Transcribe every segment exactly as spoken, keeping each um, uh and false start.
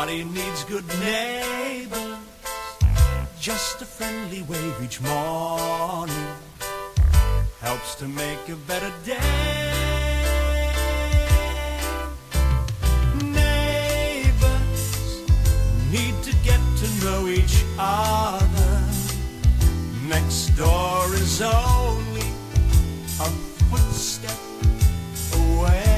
Everybody needs good neighbors. Just a friendly wave each morning helps to make a better day. Neighbors need to get to know each other. Next door is only a footstep away.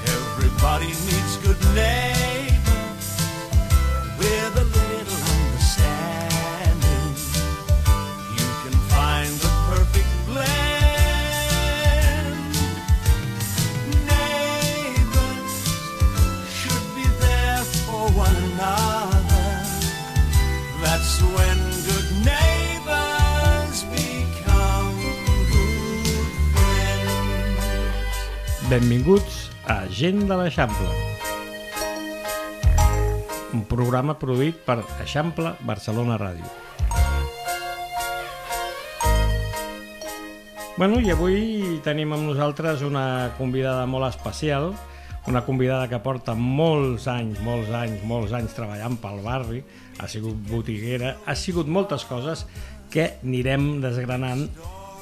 Everybody needs good neighbors with a little understanding. You can find the perfect blend. Neighbors should be there for one another. That's when good neighbors become good friends. Benvinguts a Gent de l'Eixample, un programa produït per Eixample Barcelona Ràdio. Bueno, i avui tenim amb nosaltres una convidada molt especial, una convidada que porta molts anys, molts anys, molts anys treballant pel barri, ha sigut botiguera, ha sigut moltes coses que anirem desgranant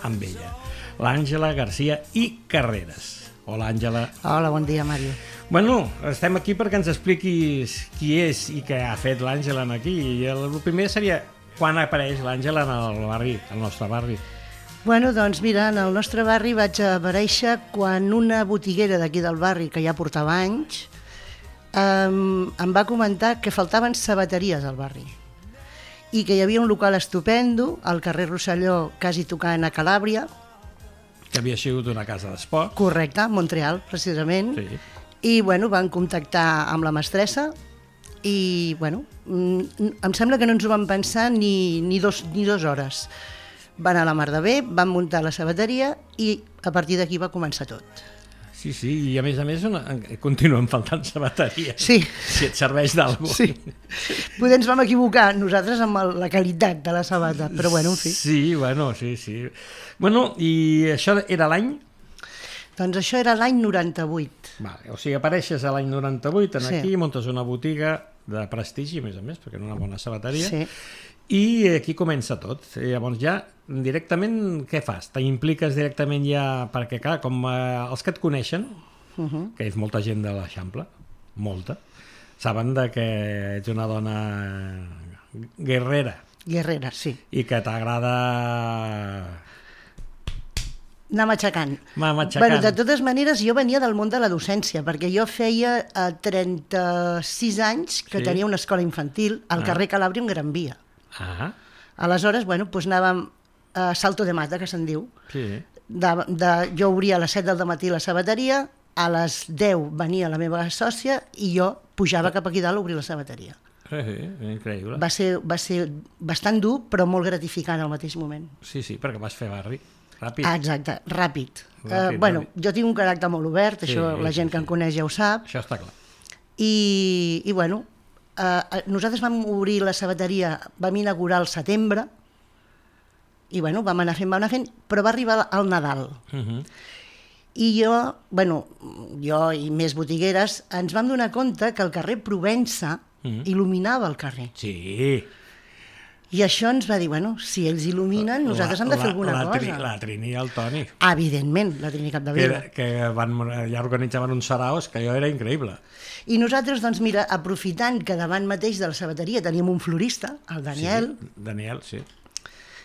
amb ella. L'Àngela García i Carreras. Hola, Àngela. Hola, bon dia, Mario. Bueno, estem aquí perquè ens expliquis qui és i què ha fet l'Àngela aquí. I el primer seria quan apareix l'Àngela en el barri, al nostre barri. Bueno, doncs mira, en el nostre barri vaig aparèixer quan una botiguera d'aquí del barri, que ja portava anys, em, em va comentar que faltaven sabateries al barri i que hi havia un local estupendo al carrer Rosselló, quasi tocant a Calàbria, Que havia sigut una casa d'esport. correcte, Montreal, precisament, Sí. i bueno, van contactar amb la mestressa i bueno, mm, em sembla que no ens ho van pensar ni, ni, dos, ni dues hores. Van a la mar de bé, van muntar la sabateria i a partir d'aquí va començar tot. Sí, sí, i a més a més una, continuen faltant sabateries. Sí. Si et serveix d'alguna cosa. Sí. Poder ens vam equivocar nosaltres amb el, la qualitat de la sabata, però bueno, en fi. Sí, bueno, sí, sí. Bueno, i això era l'any? Doncs això era l'any noranta-vuit. Vale, o sigui, apareixes a l'any noranta-vuit en Sí. aquí, muntes una botiga de prestigi, a més a més, perquè era una bona sabateria, Sí. i aquí comença tot. I llavors ja, directament, què fas? T'impliques directament ja, perquè clar, com eh, els que et coneixen, Uh -huh. que és molta gent de l'Eixample, molta, saben de que ets una dona guerrera Guerrera, sí. i que t'agrada Anar matxacant. anar matxacant. Bueno, de totes maneres, jo venia del món de la docència, perquè jo feia eh, trenta-sis anys que Sí. tenia una escola infantil al Ah. carrer Calàbria en Gran Via. Ah, Aleshores, bueno, doncs anàvem a Salto de Mata, que se'n diu. sí. De, de, jo obria a les set del matí la sabateria, a les deu venia la meva sòcia i jo pujava cap aquí dalt a obrir la sabateria. Sí, sí, increïble. Va ser, va ser bastant dur, però molt gratificant al mateix moment. Sí, sí, perquè vas fer barri. Ràpid. Ah, exacte, ràpid. Ràpid, uh, bueno, ràpid. jo tinc un caràcter molt obert, Sí, això la gent sí, que em sí. coneix ja ho sap, Això està clar. i, i bueno, uh, nosaltres vam obrir la sabateria, vam inaugurar al setembre, i bueno, vam anar fent, vam anar fent, però va arribar el Nadal. Uh -huh. I jo, bueno, jo i més botigueres, ens vam donar compte que el carrer Provença Mhm. il·luminava el carrer. Sí. I això ens va dir, bueno, si ells il·luminen, nosaltres hem de fer La- alguna la, cosa. Tri, la Trini i el Toni, Evidentment, la Trini que, Capdevila. era- que van, ja organitzaven uns saraos que allò era increïble. I nosaltres, doncs mira, aprofitant que davant mateix de la sabateria teníem un florista, el Daniel, Sí, Daniel, sí.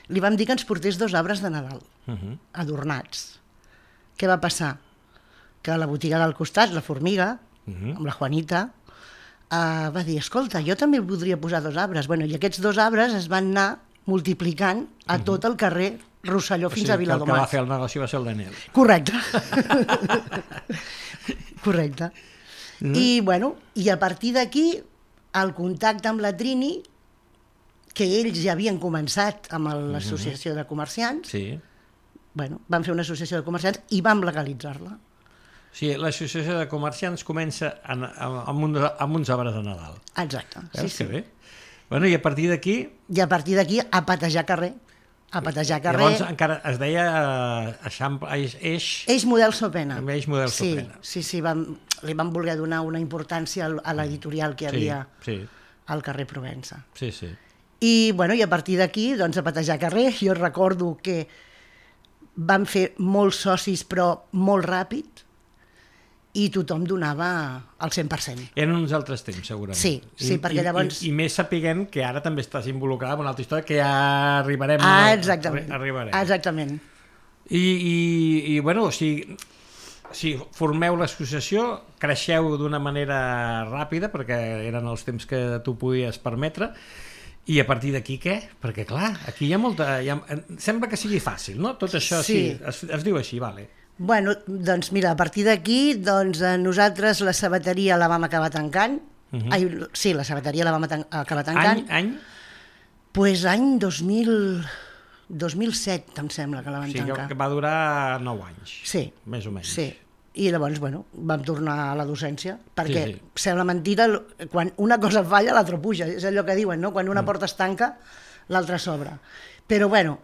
li vam dir que ens portés dos arbres de Nadal, Uh -huh. adornats. Què va passar? Que a la botiga del costat, la Formiga, Uh -huh. amb la Juanita, uh, va dir, escolta, jo també voldria posar dos arbres. Bueno, i aquests dos arbres es van anar multiplicant a tot el carrer Rosselló fins o sigui, a que el que va Viladomat. fer el negoci va ser el Daniel. Correcte. Correcte. Mm. I, bueno, i a partir d'aquí, el contacte amb la Trini, que ells ja havien començat amb l'associació de comerciants, Sí. bueno, van fer una associació de comerciants i vam legalitzar-la. O sigui, l'associació de comerciants comença en, amb, amb, un, amb uns arbres de Nadal. Exacte. Sí, Veus sí. que bé? Bueno, i a partir d'aquí... I a partir d'aquí, a patejar carrer. a patejar carrer. Llavors encara es deia Eixample, Eix... Eix, Eix Model Sopena. També Eix Model sí, Sopena. Sí, sí, vam, li vam voler donar una importància a l'editorial que hi havia sí, sí. al carrer Provença. Sí, sí. I, bueno, i a partir d'aquí, doncs, a patejar carrer, jo recordo que vam fer molts socis, però molt ràpid, i tothom donava el cent per cent. Eren uns altres temps, segurament. Sí, sí, I, perquè llavors... I, i més sapiguem que ara també estàs involucrada en una altra història que ja arribarem. Ah, exactament. A, arribarem. Exactament. I, i, i bueno, o sigui, si formeu l'associació, creixeu d'una manera ràpida, perquè eren els temps que tu podies permetre, i a partir d'aquí què? Perquè clar, aquí hi ha molta... Hi ha, sembla que sigui fàcil, no? Tot això sí, sí es, es diu així, vale. Bueno, doncs mira, a partir d'aquí, doncs nosaltres la sabateria la vam acabar tancant. Uh-huh. Ai, sí, la sabateria la vam acabar tancant. Any? Any? Pues any dos mil... dos mil set, em sembla, que la vam o sigui, tancar. Que va durar nou anys. Sí. Més o menys. Sí. I llavors, bueno, vam tornar a la docència, perquè sí, sí. sembla mentira, quan una cosa falla, l'altra puja. És allò que diuen, no? Quan una porta es tanca, l'altra s'obre. Però, bueno,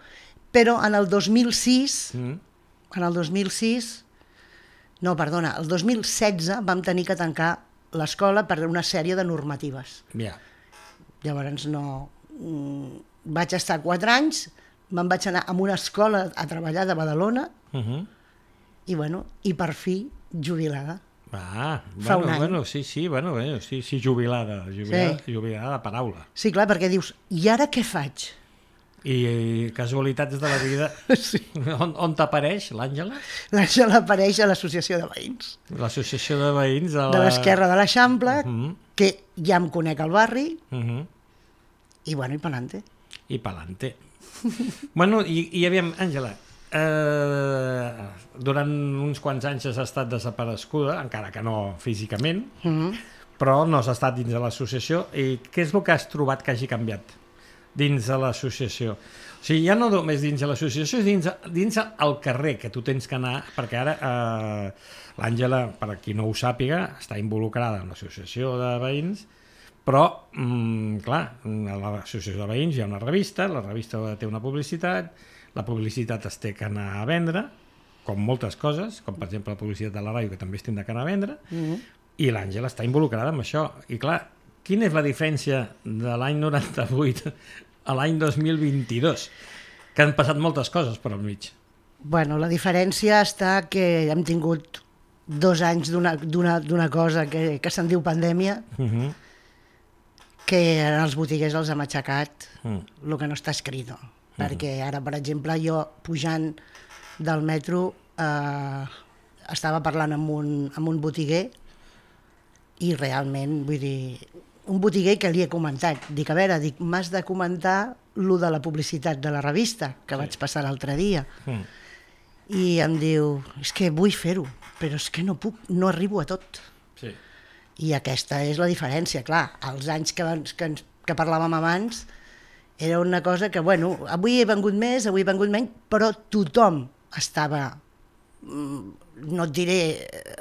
però en el dos mil sis... Mm. En el dos mil sis, no, perdona, el dos mil setze vam tenir que tancar l'escola per una sèrie de normatives. Yeah. Llavors no... Vaig estar quatre anys, me'n vaig anar a una escola a treballar de Badalona uh-huh. i, bueno, i per fi jubilada. Ah, Fa bueno, un any. bueno, sí, sí, bueno, bueno, sí, sí, jubilada, jubilada, sí. jubilada de paraula. Sí, clar, perquè dius, i ara què faig? I, i casualitats de la vida, sí. on, on t'apareix l'Àngela? L'Àngela apareix a l'associació de veïns. L'associació de veïns de, la... de l'Esquerra de l'Eixample, uh-huh. que ja em conec al barri, uh-huh. i bueno, i pa'lante. I pa'lante. Bueno, i, i aviam, Àngela, eh, durant uns quants anys has estat desapareguda, encara que no físicament, uh-huh. però no has estat dins de l'associació, i què és el que has trobat que hagi canviat dins de l'associació? O sigui, ja no només dins de l'associació, és dins, dins al carrer, que tu tens que anar, perquè ara eh, l'Àngela, per a qui no ho sàpiga, està involucrada en l'associació de veïns, però, mm, clar, a l'associació de veïns hi ha una revista, la revista té una publicitat, la publicitat es té que anar a vendre, com moltes coses, com per exemple la publicitat de la ràdio, que també es tindrà que anar a vendre, mm-hmm. i l'Àngela està involucrada en això. I clar, quina és la diferència de l'any noranta-vuit a l'any dos mil vint-i-dos? Que han passat moltes coses per al mig. Bueno, la diferència està que hem tingut dos anys d'una cosa que, que se'n diu pandèmia, uh-huh. que els botiguers els hem aixecat uh-huh. el que no està escrit. Uh-huh. Perquè ara, per exemple, jo pujant del metro eh, estava parlant amb un, amb un botiguer i realment, vull dir, un botiguer que li he comentat, dic, a veure, dic, m'has de comentar lo de la publicitat de la revista, que sí. vaig passar l'altre dia. Mm. I em diu, és que vull fer-ho, però és que no puc, no arribo a tot. Sí. I aquesta és la diferència, clar, els anys que, que, que parlàvem abans, era una cosa que, bueno, avui he vengut més, avui he vengut menys, però tothom estava... no et diré...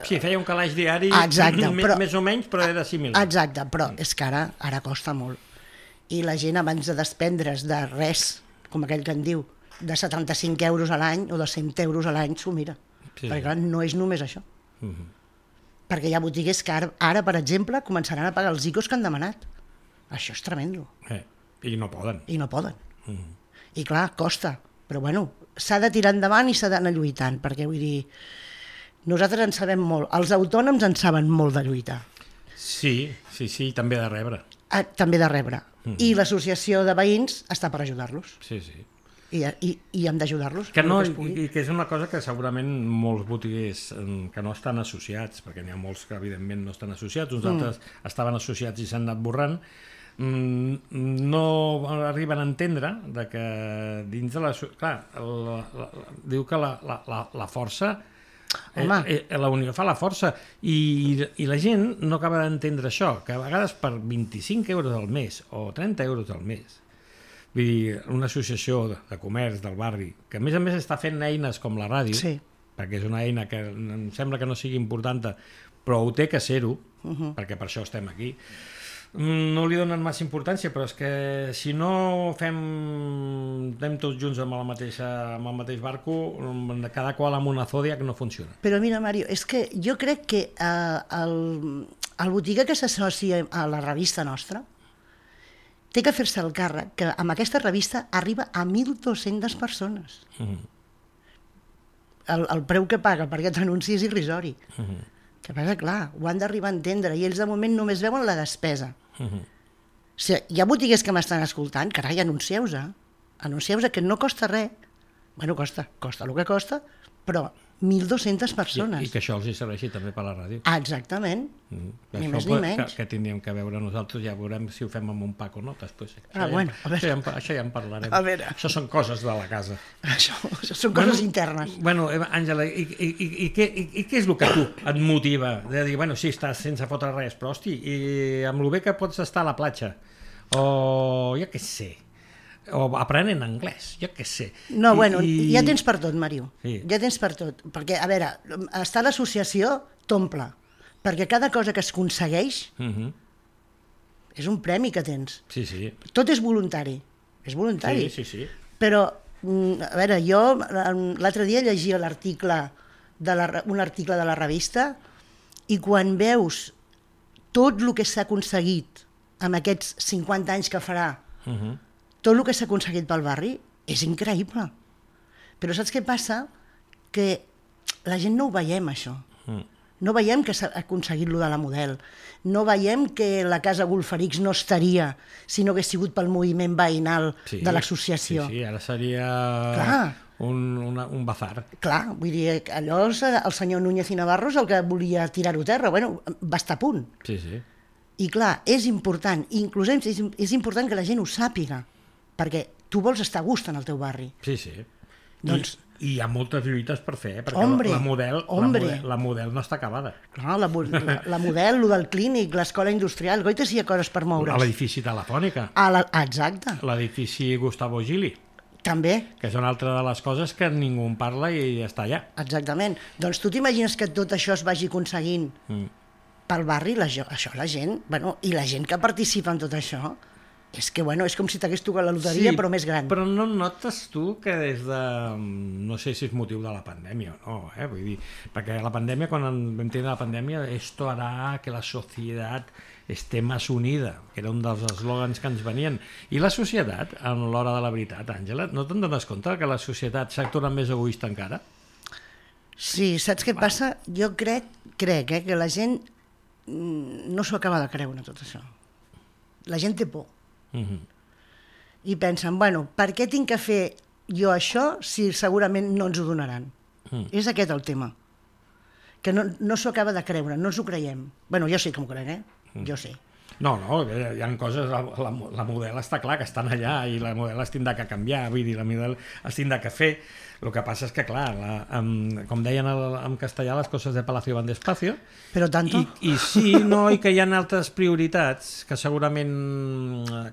Sí, feia un calaix diari, exacte, però, més o menys, però era similar. Exacte, però és que ara, ara costa molt. I la gent, abans de despendre's de res, com aquell que en diu, de setanta-cinc euros a l'any o de cent euros a l'any, s'ho mira. Sí. Perquè clar, no és només això. Uh-huh. Perquè hi ha botiguers que ara, ara, per exemple, començaran a pagar els I C Os que han demanat. Això és tremendo. Eh, I no poden. I no poden. Uh-huh. I clar, costa. Però bueno, s'ha de tirar endavant i s'ha d'anar lluitant, perquè vull dir, nosaltres en sabem molt, els autònoms en saben molt de lluitar. Sí, sí, sí, també de rebre. Ah, també de rebre. Mm-hmm. I l'associació de veïns està per ajudar-los. Sí, sí. I, i, i hem d'ajudar-los. Que no, que i que és una cosa que segurament molts botiguers que no estan associats, perquè n'hi ha molts que evidentment no estan associats, uns mm. altres estaven associats i s'han anat borrant, no arriben a entendre de que dins de la... Clar, la, la, la, diu que la, la, la, la força, eh, eh, la unió fa la força, i, i la gent no acaba d'entendre això, que a vegades per vint-i-cinc euros al mes o trenta euros al mes, vull dir, una associació de, de comerç del barri, que a més a més està fent eines com la ràdio, sí. perquè és una eina que em sembla que no sigui important, però ho té que ser-ho, uh-huh. perquè per això estem aquí, No li donen massa importància, però és que si no fem anem tots junts amb, la mateixa, amb el mateix barco, cada qual amb una zodiac no funciona. Però mira, Mario, és que jo crec que eh, el, el botiguer que s'associa a la revista nostra té que fer-se el càrrec que amb aquesta revista arriba a mil dues-centes persones. Mm-hmm. el, el preu que paga per aquest anunci és irrisori. Mm-hmm. Que passa, clar, ho han d'arribar a entendre i ells de moment només veuen la despesa. Uh-huh. O sigui, hi ha botiguers que m'estan escoltant, carai, anuncieu-vos, eh? Anuncieu-vos que no costa res. Bueno, costa, costa el que costa, però mil dues-centes persones. I, I que això els hi serveixi també per la ràdio. Ah, exactament, mm. ni això més ni menys. Que, que tindríem que veure nosaltres, ja veurem si ho fem amb un pack o no, després. Ah, això, bueno, ja, això, ja, això ja en parlarem. A veure. Això són coses de la casa. Això, això són coses bueno, internes. Bueno, Àngela, i, i, i, i, què, i, i què és el que tu et motiva? De dir, bueno, sí, estàs sense fotre res, però hosti, i amb el bé que pots estar a la platja, o jo què sé, o aprenent anglès, jo què sé. No, I, bueno, i... ja tens per tot, Màriu. Sí. Ja tens per tot. Perquè, a veure, estar a l'associació t'omple. Perquè cada cosa que es aconsegueix uh-huh. és un premi que tens. Sí, sí. Tot és voluntari. És voluntari. Sí, sí, sí. Però, a veure, jo l'altre dia llegia l'article de la, un article de la revista i quan veus tot el que s'ha aconseguit amb aquests cinquanta anys que farà, uh-huh. tot el que s'ha aconseguit pel barri és increïble. Però saps què passa? Que la gent no ho veiem, això. Mm. No veiem que s'ha aconseguit lo de la Model. No veiem que la Casa Golferix no estaria si no hagués sigut pel moviment veïnal sí, de l'associació. Sí, sí, ara seria un, una, un bazar. Clar, vull dir, allò el senyor Núñez i Navarro és el que volia tirar-ho a terra. Bueno, va estar a punt. Sí, sí. I clar, és important, inclús és, és important que la gent ho sàpiga, perquè tu vols estar a gust en el teu barri. Sí, sí. Doncs... I, I hi ha moltes lluites per fer, eh? perquè hombre, la, model, hombre. la, model, la model no està acabada. Clar, la, la, la model, el del clínic, l'escola industrial, goita si hi ha coses per moure's. L'edifici Telefònica. A la, exacte. L'edifici Gustavo Gili. També. Que és una altra de les coses que ningú en parla i està allà. Exactament. Doncs tu t'imagines que tot això es vagi aconseguint mm. pel barri, la, això la gent, bueno, i la gent que participa en tot això, és que, bueno, és com si t'hagués tocat la loteria, sí, però més gran. Però no notes tu que des de... No sé si és motiu de la pandèmia o no, eh? Vull dir, perquè la pandèmia, quan vam tenir la pandèmia, esto hará que la societat esté más unida, que era un dels eslògans que ens venien. I la societat, a l'hora de la veritat, Àngela, no te'n dones compte que la societat s'ha tornat més egoista encara? Sí, saps què passa? Jo crec, crec eh, que la gent no s'ho acaba de creure, tot això. La gent té por. Uh-huh. I pensen, bueno, per què tinc que fer jo això si segurament no ens ho donaran? Uh-huh. És aquest el tema. Que no, no s'ho acaba de creure, no ens ho creiem. Bueno, jo sí que m'ho crec, eh? Uh-huh. Jo sí. No, no, hi ha coses, la, la, la model està clar que estan allà i la model es tindrà que canviar, vull dir, la model es tindrà que fer. El que passa és que, clar, la, um, com deien el, en castellà, les coses de Palacio van despacio. Però tanto. I, i sí, no, i que hi ha altres prioritats que segurament...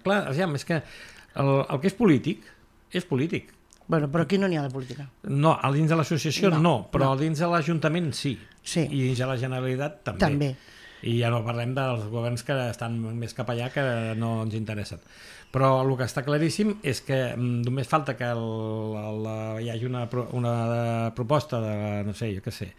Clar, aviam, és que el, el que és polític, és polític. Bueno, però aquí no n'hi ha de política. No, a dins de l'associació no, no, però no. A dins de l'Ajuntament sí. Sí. I dins de la Generalitat també. També. I ja no parlem dels governs que estan més cap allà que no ens interessen. Però el que està claríssim és que només falta que el, el, hi hagi una, una proposta de, no sé, jo què sé,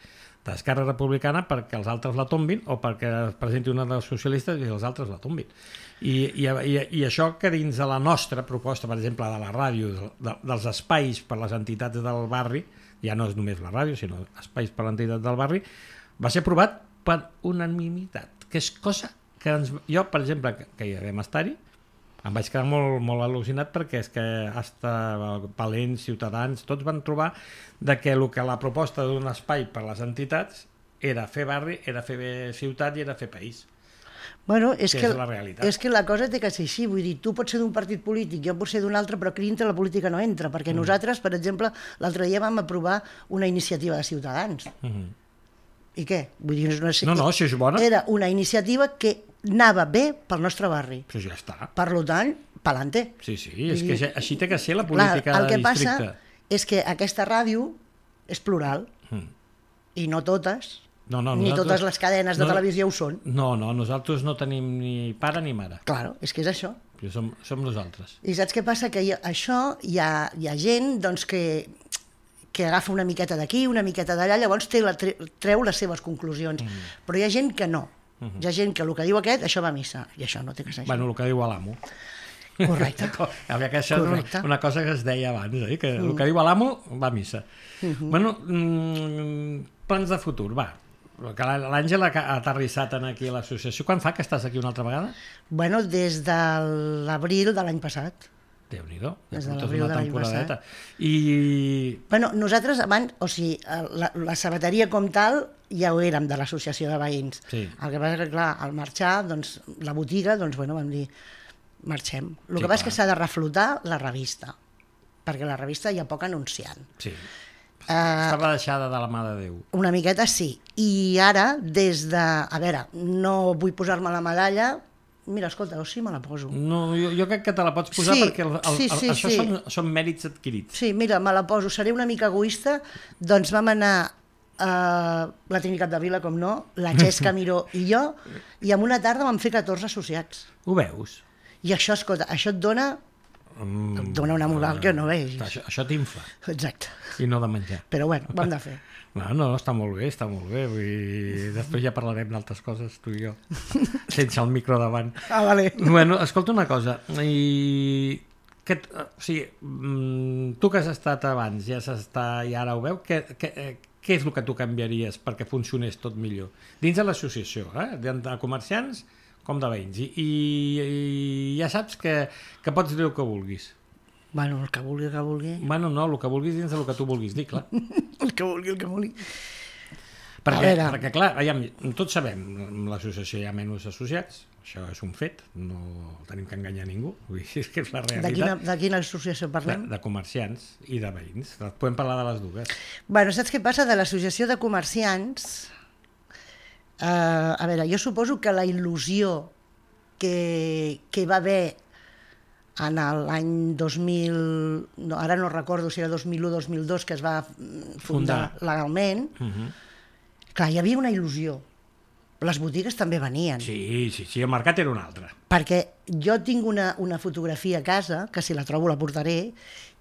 d'Esquerra Republicana perquè els altres la tombin o perquè es presenti una dels socialistes i els altres la tombin. I, i, i, i això que dins de la nostra proposta, per exemple, de la ràdio, de, dels espais per les entitats del barri, ja no és només la ràdio, sinó espais per l'entitat del barri, va ser aprovat per unanimitat, que és cosa que ens... Jo, per exemple, que, que hi vam estar-hi, em vaig quedar molt, molt al·lucinat perquè és que hasta Palents, Ciutadans, tots van trobar de que el que la proposta d'un espai per les entitats era fer barri, era fer ciutat i era fer país. Bueno, és que, que és la realitat. És que la cosa té que ser així, vull dir, tu pots ser d'un partit polític, jo pots ser d'un altre, però aquí dintre la política no entra, perquè mm. nosaltres, per exemple, l'altre dia vam aprovar una iniciativa de Ciutadans. Mm-hmm. I què? Vull dir, no, no, no, això és bona. Era una iniciativa que anava bé pel nostre barri. Però ja està. Per tant, pa'lante. Sí, sí, és que així té que ser la política clar, el que de districte. passa és que aquesta ràdio és plural mm. i no totes No, no, ni nosaltres- totes les cadenes de no- televisió ho són. No, no, nosaltres no tenim ni pare ni mare. Claro, és que és això. Jo som, som nosaltres. I saps què passa? Que hi ha, això hi ha, hi ha gent doncs, que, que agafa una miqueta d'aquí, una miqueta d'allà, llavors té la, tre- treu les seves conclusions. Mm. Però hi ha gent que no. Mm-hmm. Hi ha gent que el que diu aquest, això va a missa, i això no té que ser així. Bueno, el que diu l'amo. Correcte. A veure, que això és Correcte. una, una cosa que es deia abans, eh? Que el que diu l'amo va a missa. Mm-hmm. Bueno, mm, plans de futur, va. Que l'Àngel ha ha aterrissat en aquí a l'associació. Quan fa que estàs aquí una altra vegada? Bueno, des de l'abril de l'any passat. Déu-n'hi-do, ja Des de portes l'abril una de l'any temporadeta. I... Bueno, nosaltres abans, o sigui, la, la sabateria com tal ja ho érem de l'associació de veïns. Sí. El que passa que, clar, al marxar, doncs, la botiga, doncs, bueno, vam dir, marxem. El Sí, que passa és clar. que s'ha de reflotar la revista, perquè la revista hi ha poc anunciant. Sí. Uh, Estava deixada de la mà de Déu. una miqueta sí. I ara, des de... A veure, no vull posar-me la medalla. Mira, escolta, o sí me la poso. No, jo, jo crec que te la pots posar Sí, perquè el, el, sí, el, sí, això sí. són, són mèrits adquirits. Sí, mira, me la poso. Seré una mica egoista. Doncs vam anar a la Trinitat de Vila, com no, la Xesca Miró i jo, i en una tarda vam fer catorze associats. Ho veus? I això, escolta, això et dona, Mm, et dona una moral que no vegis. Això, això t'infla, Exacte. i no de menjar. Però bueno, ho hem de fer. No, no, està molt bé, està molt bé. Vull dir, després ja parlarem d'altres coses, tu i jo, sense el micro davant. Ah, vale. Bueno, escolta una cosa, i... Que, o sigui, mm, tu que has estat abans, ja has estat, i ara ho veu, què, què, eh, què és el que tu canviaries perquè funcionés tot millor? Dins de l'associació, eh? de, de comerciants com de veïns. I, i, i ja saps que, que pots dir el que vulguis. Bueno, el que vulgui, el que vulgui. Bueno, no, el que vulguis dins del que tu vulguis dir, clar. El que vulgui, el que vulgui. Perquè, A veure. perquè clar, aviam, tots sabem, en l'associació hi ha menys associats, això és un fet, no tenim que enganyar ningú, vull dir, és que és la De realitat. quina, de quina associació De, parlem? de comerciants i de veïns. Podem parlar de les dues. Bueno, saps què passa? De l'associació de comerciants, eh, a veure, jo suposo que la il·lusió que, que va haver en l'any dos mil, no, ara no recordo si era dos mil u o dos mil dos, que es va mm, fundar, Fundar. legalment, Uh -huh. clar, hi havia una il·lusió. Les botigues també venien. Sí, sí, sí, el mercat era un altre. Perquè jo tinc una, una fotografia a casa, que si la trobo la portaré,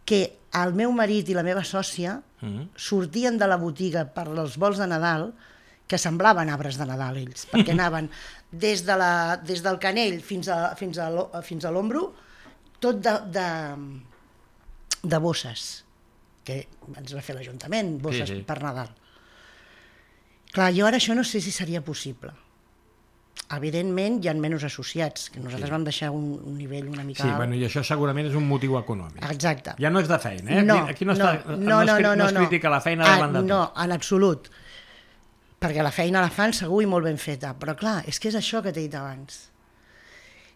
que el meu marit i la meva sòcia Uh -huh. sortien de la botiga per als vols de Nadal, que semblaven arbres de Nadal ells, perquè anaven des, de la, des del canell fins a, fins a, l'o- fins a l'ombro, tot de, de, de bosses, que ens va fer l'Ajuntament, bosses Sí, sí. per Nadal. Clar, jo ara això no sé si seria possible. Evidentment hi ha menys associats, que nosaltres Sí. vam deixar un, un nivell una mica Sí, alt. bueno, i això segurament és un motiu econòmic. Exacte. Ja no és de feina, eh? No, Aquí, aquí no, està, no, no, no, es, cri- no, no es no. critica la feina Ah, davant de tot. no, en absolut. Perquè la feina la fan segur i molt ben feta, però clar, és que és això que t'he dit abans.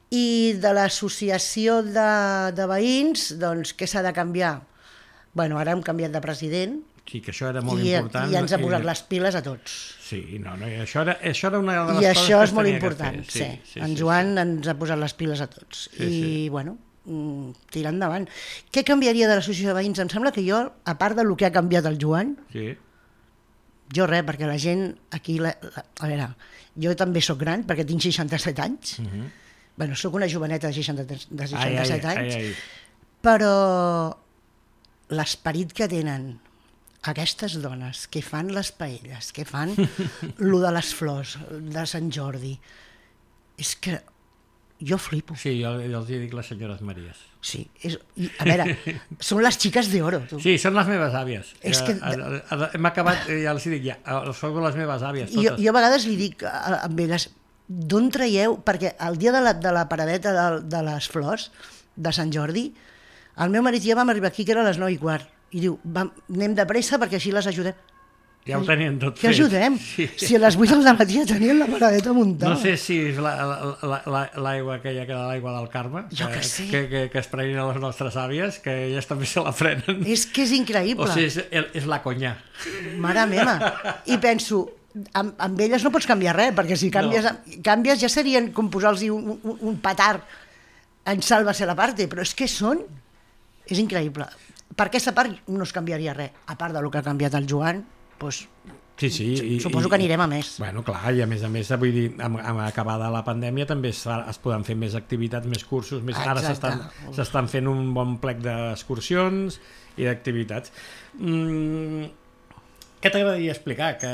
I de l'associació de, de veïns, doncs què s'ha de canviar? Bueno, ara hem canviat de president Sí, que això era molt i, important. i ens ha i- posat les piles a tots. Sí, no, no, i això era, això era una de les I coses això que és es molt tenia que important, fer. sí. sí. En Joan sí. ens ha posat les piles a tots. Sí, I, sí. bueno, mm, tirar endavant. Què canviaria de l'associació de veïns? Em sembla que jo, a part del que ha canviat el Joan, Sí. jo res, perquè la gent aquí... La, la, a veure, jo també sóc gran, perquè tinc seixanta-set anys. Uh -huh. Bueno, sóc una joveneta de, seixanta, de Ai, seixanta-set ai, anys, ai, ai. però l'esperit que tenen aquestes dones que fan les paelles, que fan lo de les flors de Sant Jordi, és que jo flipo. Sí, jo, jo els hi dic les senyores Maries. Sí, és, i, a veure, són les xiques d'oro, tu. Sí, són les meves àvies. És que- Eh, eh, Hem acabat, eh, ja els hi dic ja, eh, són les meves àvies, I jo, totes. jo a vegades li dic a, a, amb elles, d'on traieu? Perquè el dia de la, de la paradeta de, de les flors de Sant Jordi, el meu marit i jo vam arribar aquí, que era a les nou i quart, i diu, vam, anem de pressa perquè així les ajudem. Ja ho tenien tot Què fet. ajudem? Sí. Si a les vuit del matí ja tenien la paradeta muntada. No sé si és l'aigua la, la, la, aquella que era l'aigua del Carme, Jo que sé. que, que, que es prenien a les nostres àvies, que elles també se la prenen. És que és increïble. O sigui, és, és la conya. Mare meva. I penso, amb, amb elles no pots canviar res, perquè si canvies, no. canvies ja serien com posar-los un, un, un petard en Sálvase la parte, però és que són... És increïble. Per aquesta part no es canviaria res. A part del que ha canviat el Joan, doncs, Sí, sí. I, Suposo i, que anirem a més. Bueno, clar, i a més a més, vull dir, amb, amb acabada la pandèmia també es, fa, es poden fer més activitats, més cursos, més... Ara s'estan s'estan fent un bon plec d'excursions i d'activitats. Mm, què t'agradaria explicar? Que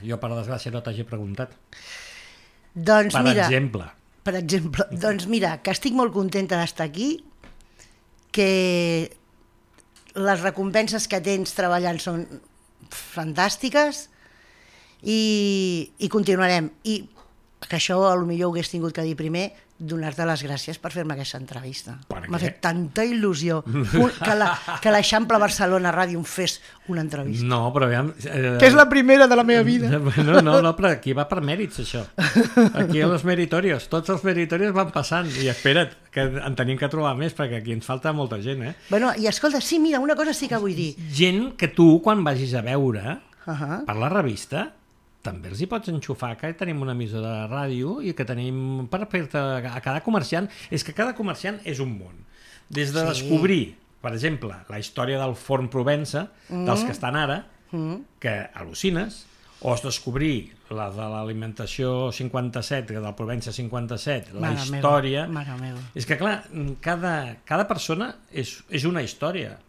jo, per desgràcia, no t'hagi preguntat. Doncs per mira, exemple. Per exemple, doncs mira, que estic molt contenta d'estar aquí, que les recompenses que tens treballant són fantàstiques i, i continuarem. I que això potser ho hagués tingut que dir primer, donar-te les gràcies per fer-me aquesta entrevista. M'ha fet tanta il·lusió que la, que l'Eixample Barcelona Ràdio em fes una entrevista. No, però aviam... Eh, que és la primera de la meva vida. No, no, no, però aquí va per mèrits, això. Aquí a los meritorios, tots els meritorios van passant. I espera't, que en tenim que trobar més, perquè aquí ens falta molta gent, eh? Bueno, i escolta, sí, mira, una cosa sí que vull dir. Gent que tu, quan vagis a veure Uh-huh. per la revista, també els hi pots enxufar que tenim una emissora de ràdio i que tenim per fer-te a cada comerciant. És que cada comerciant és un món. Des de sí. descobrir, per exemple, la història del forn Provença, mm. dels que estan ara, mm. que al·lucines, o es descobrir la de l'alimentació cinquanta-set, del Provença cinquanta-set, la Mare història... Meva. Mare meva. És que, clar, cada, cada persona és, és una història.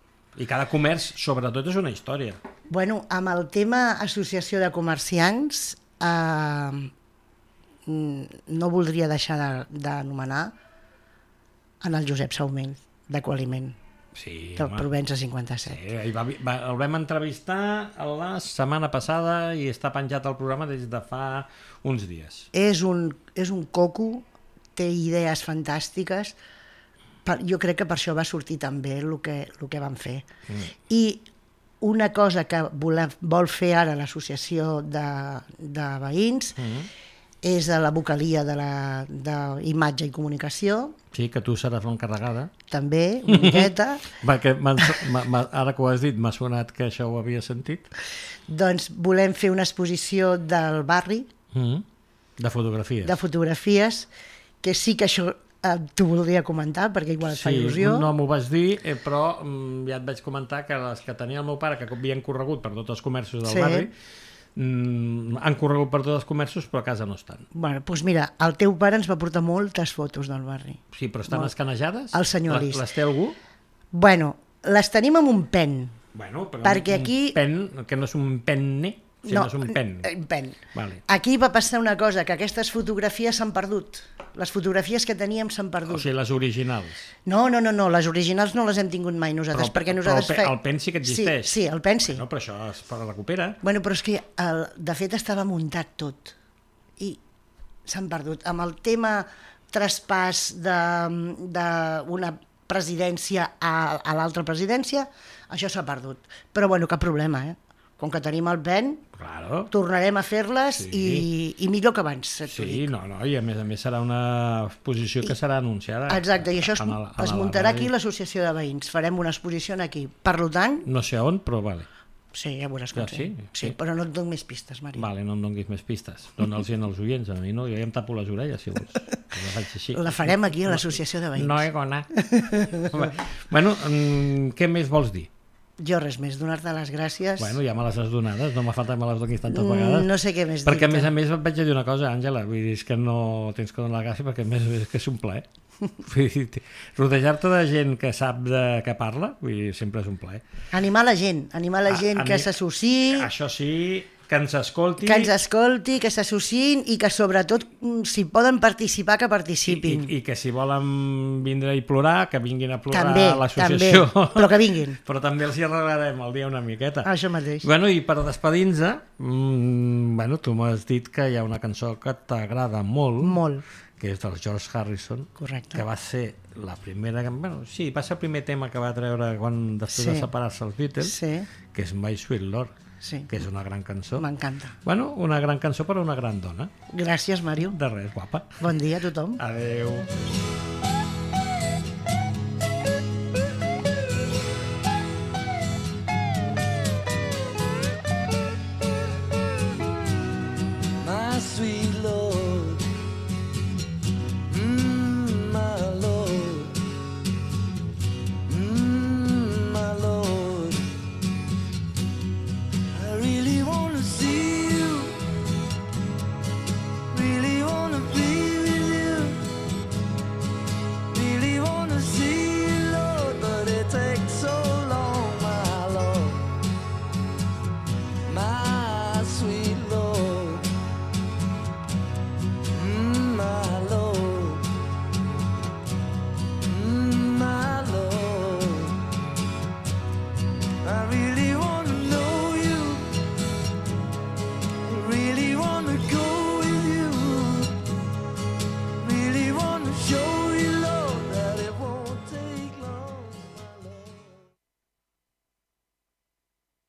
I cada comerç, sobretot, és una història. Bueno, amb el tema associació de comerciants, eh, no voldria deixar d'anomenar en el Josep Saumell, de Qualiment, sí, del home. Provença cinquanta-set. Sí, va, va, el vam entrevistar la setmana passada i està penjat al programa des de fa uns dies. És un, és un coco, té idees fantàstiques. Per, jo crec que per això va sortir tan bé el que, el que van fer. Mm. I una cosa que vol, vol fer ara l'associació de, de veïns mm. és a la vocalia de la d'imatge i comunicació. Sí, que tu seràs l'encarregada. També, una miqueta. Perquè ara que ho has dit m'ha sonat que això ho havia sentit. Doncs volem fer una exposició del barri. Mm. De fotografies. De fotografies, que sí que això... t'ho voldria comentar, perquè igual et fa il·lusió. Sí, no m'ho vas dir, eh, però mm, ja et vaig comentar que les que tenia el meu pare, que havien corregut per tots els comerços del sí. barri, mm, han corregut per tots els comerços, però a casa no estan. Bueno, doncs mira, el teu pare ens va portar moltes fotos del barri. Sí, però estan Molt. escanejades? El senyor Lis. Les té algú? Bueno, les tenim amb un pen. Bueno, però perquè un aquí... pen, que no és un penne, sinó no, és un pen. Un pen. Vale. Aquí va passar una cosa, que aquestes fotografies s'han perdut. Les fotografies que teníem s'han perdut. O sigui, les originals. No, no, no, no, les originals no les hem tingut mai nosaltres, però, perquè nosaltres... Però el, fe... el pen sí que existeix. Sí, sí, el pen sí. No, però això es recupera. Bueno, però és que, el, de fet, estava muntat tot. I s'han perdut. Amb el tema traspàs d'una presidència a, a l'altra presidència, això s'ha perdut. Però, bueno, cap problema, eh? Com que tenim el pen, claro. tornarem a fer-les sí. i, i millor que abans. Sí, no, no, i a més a més serà una exposició que serà anunciada. Exacte, i això es, el, es muntarà aquí l'associació de veïns. Farem una exposició aquí. Per tant... No sé on, però vale. Sí, ja veuràs com ja, sí, sí, sí, però no et dono més pistes, Maria. Vale, no em donguis més pistes. Dóna'ls als oients, a mi no, jo ja em tapo les orelles, si vols. La faig així. La farem aquí a l'associació de veïns. No he gona. Bueno, què més vols dir? Jo res més, donar-te les gràcies. Bueno, ja me les has donades, no m'ha faltat me les donis tantes vegades. No sé què més dir-te. Perquè a més a més et vaig a dir una cosa, Àngela, vull dir, és que no tens que donar la gràcia perquè a més és que és un plaer. Rodejar-te de gent que sap de què parla, vull dir, sempre és un plaer. Animar la gent, animar la gent a, a que s'associï. Això sí, que ens escolti. Que ens escolti, que s'associïn i que sobretot, si poden participar, que participin. I, i, i que si volen vindre i plorar, que vinguin a plorar també, a l'associació. També, però que vinguin. Però també els hi arreglarem el dia una miqueta. Això mateix. Bueno, i per despedir-nos, mmm, bueno, tu m'has dit que hi ha una cançó que t'agrada molt. Molt. Que és del George Harrison. Correcte. Que va ser la primera... Bueno, sí, va ser el primer tema que va treure quan, després sí. de separar-se els Beatles, sí. que és My Sweet Lord. Sí. Que és una gran cançó. M'encanta. Bueno, una gran cançó per a una gran dona. Gràcies, Màrio. De res, guapa. Bon dia a tothom. Adeu.